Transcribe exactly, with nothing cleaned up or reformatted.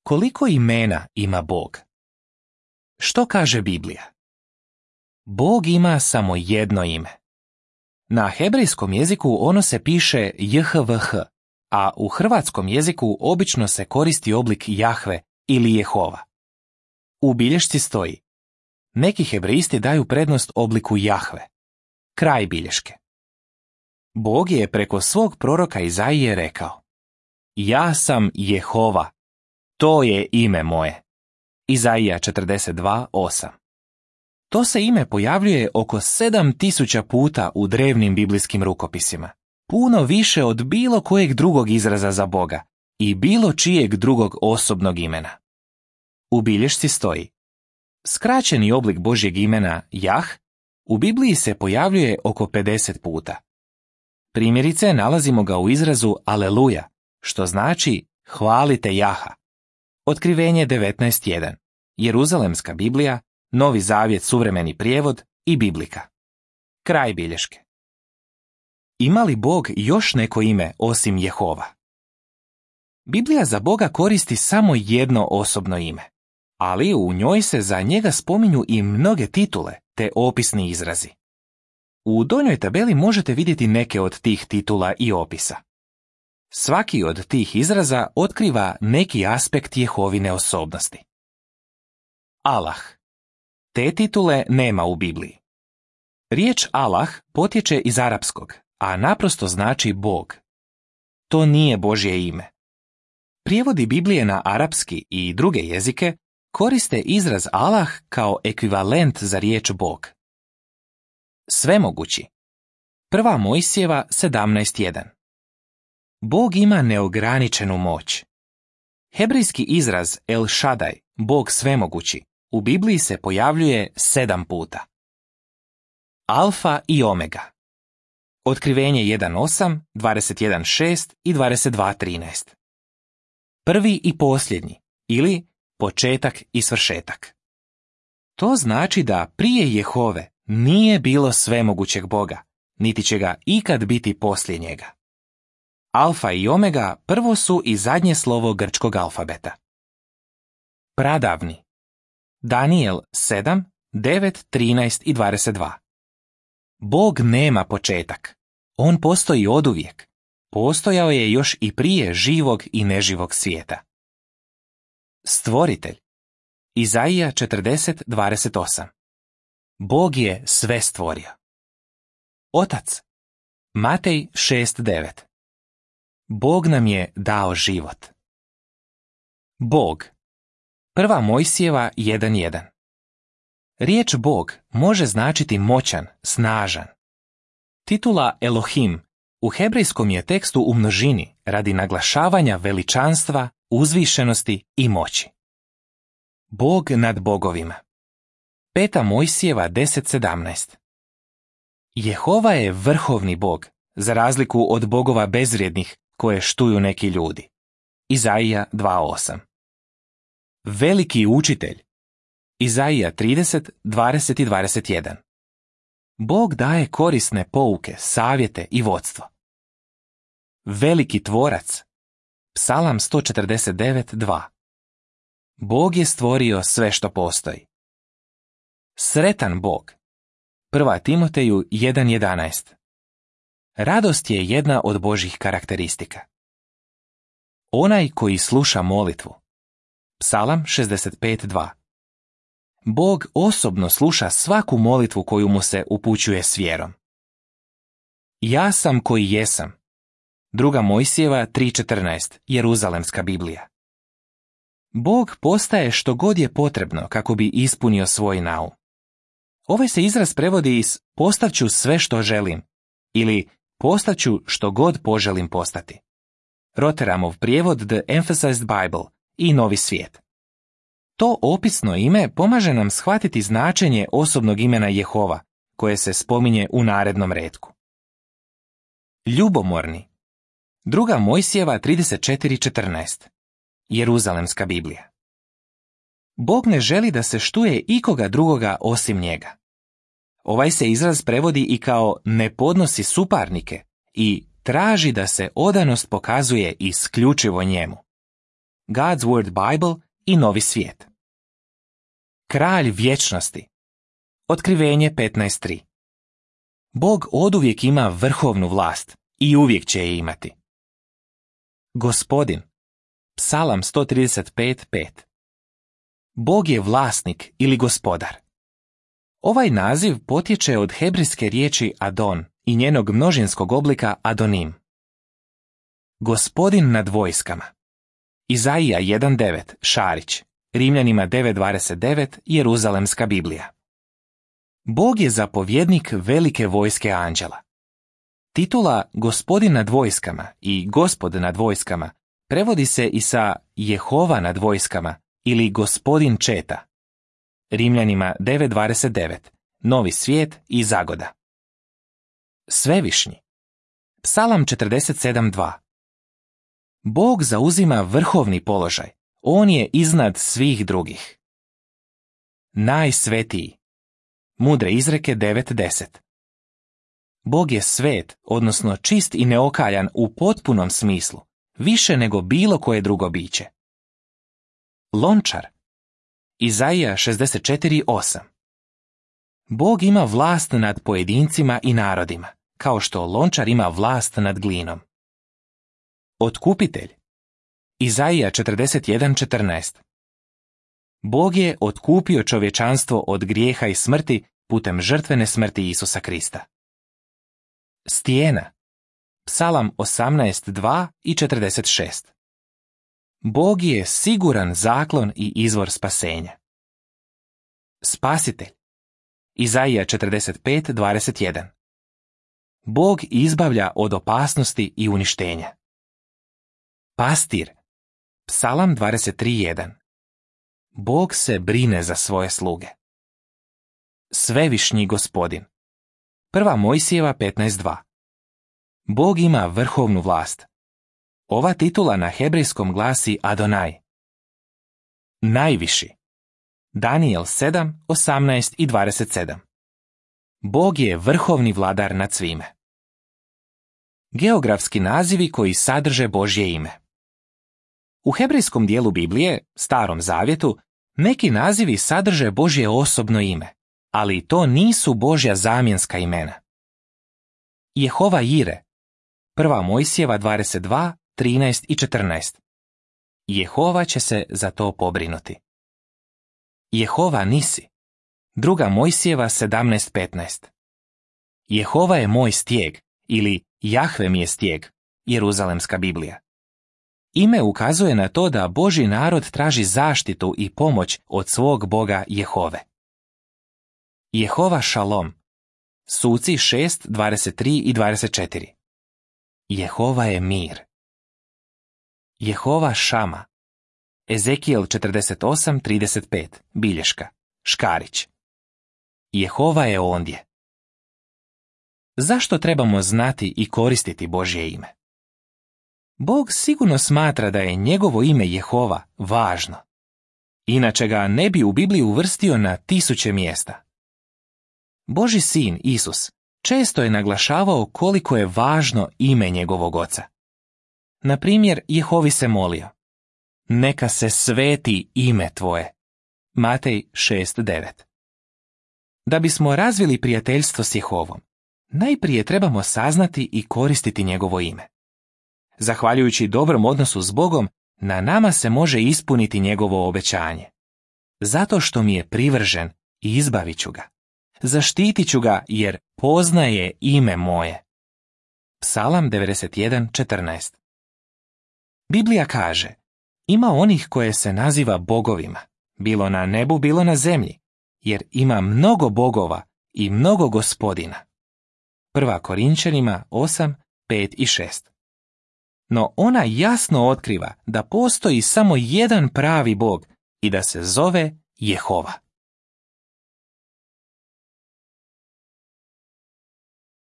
Koliko imena ima Bog? Što kaže Biblija? Bog ima samo jedno ime. Na hebrejskom jeziku ono se piše J H V H, a u hrvatskom jeziku obično se koristi oblik Jahve ili Jehova. U bilješci stoji: neki hebrejsti daju prednost obliku Jahve. Kraj bilješke. Bog je preko svog proroka Izaije rekao: ja sam Jehova, to je ime moje. Izaija četrdeset dva osam. To se ime pojavljuje oko sedam tisuća puta u drevnim biblijskim rukopisima, puno više od bilo kojeg drugog izraza za Boga i bilo čijeg drugog osobnog imena. U bilješci stoji: skraćeni oblik Božjeg imena Jah u Bibliji se pojavljuje oko pedeset puta. Primjerice nalazimo ga u izrazu Aleluja, što znači hvalite Jaha. Otkrivenje devetnaest jedan, Jeruzalemska Biblija, Novi Zavjet suvremeni prijevod i Biblika. Kraj bilješke. Ima li Bog još neko ime osim Jehova? Biblija za Boga koristi samo jedno osobno ime, ali u njoj se za njega spominju i mnoge titule te opisni izrazi. U donjoj tabeli možete vidjeti neke od tih titula i opisa. Svaki od tih izraza otkriva neki aspekt Jehovine osobnosti. Allah. Te titule nema u Bibliji. Riječ Allah potječe iz arapskog, a naprosto znači Bog. To nije Božje ime. Prijevodi Biblije na arapski i druge jezike koriste izraz Allah kao ekvivalent za riječ Bog. Svemogući. Prva Mojsijeva sedamnaest jedan. Bog ima neograničenu moć. Hebrejski izraz El Shaddai, Bog svemogući, u Bibliji se pojavljuje sedam puta. Alfa i Omega. Otkrivenje jedan osam, dvadeset jedan šest i dvadeset dva trinaest. Prvi i posljednji, ili početak i svršetak. To znači da prije Jehove nije bilo svemogućeg Boga, niti će ga ikad biti poslije njega. Alfa i Omega prvo su i zadnje slovo grčkog alfabeta. Pradavni. Daniel sedam, devet, trinaest i dvadeset dva. Bog nema početak. On postoji oduvijek. Postojao je još i prije živog i neživog svijeta. Stvoritelj. Izaija četrdeset, dvadeset osam. Bog je sve stvorio. Otac. Matej šest, devet. Bog nam je dao život. Bog. Prva Mojsijeva jedan jedan. Riječ Bog može značiti moćan, snažan. Titula Elohim u hebrejskom je tekstu u množini radi naglašavanja veličanstva, uzvišenosti i moći. Bog nad bogovima. Peta Mojsijeva deset sedamnaest. Jehova je vrhovni Bog, za razliku od bogova bezvrijednih koje štuju neki ljudi. Izaija dva osam. Veliki učitelj. Izaija trideset, dvadeset i dvadeset jedan. Bog daje korisne pouke, savjete i vodstvo. Veliki tvorac. Psalam sto četrdeset devet, dva. Bog je stvorio sve što postoji. Sretan Bog. Prva Timoteju jedan jedanaest. Radost je jedna od Božjih karakteristika. Onaj koji sluša molitvu. Psalam šezdeset pet, dva. Bog osobno sluša svaku molitvu koju mu se upućuje s vjerom. Ja sam koji jesam. Druga Mojsijeva tri četrnaest, Jeruzalemska Biblija. Bog postaje što god je potrebno kako bi ispunio svoj naum. Ovaj se izraz prevodi iz postaću sve što želim ili postaću što god poželim postati. Rotteramov prijevod The Emphasized Bible i Novi svijet. To opisno ime pomaže nam shvatiti značenje osobnog imena Jehova, koje se spominje u narednom retku. Ljubomorni. Druga Mojsijeva trideset četiri četrnaest. Jeruzalemska Biblija. Bog ne želi da se štuje ikoga drugoga osim njega. Ovaj se izraz prevodi i kao ne podnosi suparnike i traži da se odanost pokazuje isključivo njemu. God's Word Bible i Novi svijet. Kralj vječnosti. Otkrivenje petnaest tri. Bog oduvijek ima vrhovnu vlast i uvijek će je imati. Gospodin. Psalam sto trideset pet pet. Bog je vlasnik ili gospodar. Ovaj naziv potječe od hebrejske riječi Adon i njenog množinskog oblika Adonim. Gospodin nad vojskama. Izaija jedan devet, Šarić. Rimljanima devet dvadeset devet, Jeruzalemska Biblija. Bog je zapovjednik velike vojske anđela. Titula Gospodin nad vojskama i Gospod nad vojskama prevodi se i sa Jehova nad vojskama ili Gospodin četa. Rimljanima devet dvadeset devet, Novi svijet i Zagoda. Svevišnji. Psalam četrdeset sedam dva. Bog zauzima vrhovni položaj. On je iznad svih drugih. Najsvetiji. Mudre izreke devet deset. Bog je svet, odnosno čist i neokaljan u potpunom smislu, više nego bilo koje drugo biće. Lončar. Izaija šezdeset četiri osam. Bog ima vlast nad pojedincima i narodima, kao što lončar ima vlast nad glinom. Otkupitelj. Izaija četrdeset jedan četrnaest. Bog je otkupio čovječanstvo od grijeha i smrti putem žrtvene smrti Isusa Krista. Stijena. Psalam osamnaest dva i četrdeset šest. Bog je siguran zaklon i izvor spasenja. Spasitelj. Izaija četrdeset pet dvadeset jedan. Bog izbavlja od opasnosti i uništenja. Pastir. Psalam dvadeset tri jedan. Bog se brine za svoje sluge. Svevišnji gospodin. Prva Mojsijeva petnaest dva. Bog ima vrhovnu vlast. Ova titula na hebrejskom glasi Adonai. Najviši. Danijel sedam, osamnaest i dvadeset sedam. Bog je vrhovni vladar nad svime. Geografski nazivi koji sadrže Božje ime. U hebrejskom dijelu Biblije, Starom zavjetu, neki nazivi sadrže Božje osobno ime, ali to nisu Božja zamjenska imena. Jehova Jire. Prva Mojsijeva dvadeset dva, trinaest i četrnaest. Jehova će se za to pobrinuti. Jehova Nisi. Druga Mojsijeva sedamnaest petnaest. Jehova je moj stijeg ili Jahve mi je stijeg, Jeruzalemska Biblija. Ime ukazuje na to da Božji narod traži zaštitu i pomoć od svog Boga Jehove. Jehova Šalom. Suci šest, dvadeset tri i dvadeset četiri. Jehova je mir. Jehova Šama. Ezekijel četrdeset osam, trideset pet. Bilješka. Škarić. Jehova je ondje. Zašto trebamo znati i koristiti Božje ime? Bog sigurno smatra da je njegovo ime Jehova važno. Inače ga ne bi u Bibliji uvrstio na tisuće mjesta. Božji sin, Isus, često je naglašavao koliko je važno ime njegovog oca. Na primjer, Jehovi se molio: neka se sveti ime tvoje. Matej šest devet. Da bismo razvili prijateljstvo s Jehovom, najprije trebamo saznati i koristiti njegovo ime. Zahvaljujući dobrom odnosu s Bogom, na nama se može ispuniti njegovo obećanje. Zato što mi je privržen, izbavit ću ga. Zaštitit ću ga jer poznaje ime moje. Psalam devedeset jedan četrnaest. Biblija kaže: ima onih koje se naziva bogovima, bilo na nebu, bilo na zemlji, jer ima mnogo bogova i mnogo gospodina. Prva Korinčanima osam, pet i šest. No ona jasno otkriva da postoji samo jedan pravi Bog i da se zove Jehova.